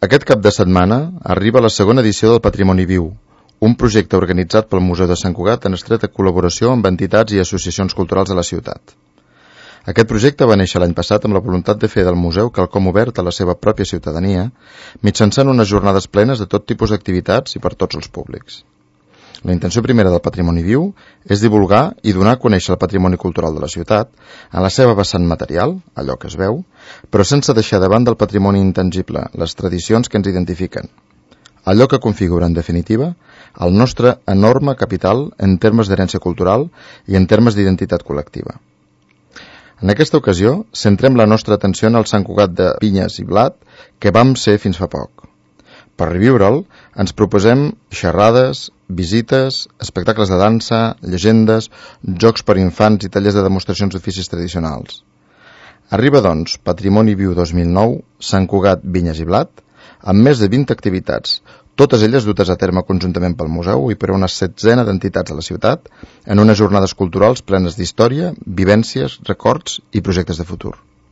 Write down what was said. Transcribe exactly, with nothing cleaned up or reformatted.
Aquest cap de setmana arriba la segona edició del Patrimoni Viu, un projecte organitzat pel Museu de Sant Cugat en estreta col·laboració amb entitats i associacions culturals de la ciutat. Aquest projecte va néixer l'any passat amb la voluntat de fer del museu quelcom obert a la seva pròpia ciutadania, mitjançant unes jornades plenes de tot tipus d'activitats i per tots els públics. La intenció primera del Patrimoni Viu és divulgar i donar a conèixer el patrimoni cultural de la ciutat en la seva vessant material, allò que es veu, però sense deixar de banda el patrimoni intangible, les tradicions que ens identifiquen. Allò que configura, en definitiva, el nostre enorme capital en termes d'herència cultural i en termes d'identitat col·lectiva. En aquesta ocasió, centrem la nostra atenció en el Sant Cugat de Vinyes i Blat que vam ser fins fa poc. Per reviure'l, ens proposem xerrades, visites, espectacles de dansa, llegendes, jocs per infants i tallers de demostracions d'oficis tradicionals. Arriba, doncs, Patrimoni Viu dos mil nou, Sant Cugat, Vinyes i Blat, amb més de vint activitats, totes elles dutes a terme conjuntament pel museu i per una setzena d'entitats de la ciutat, en unes jornades culturals plenes d'història, vivències, records i projectes de futur.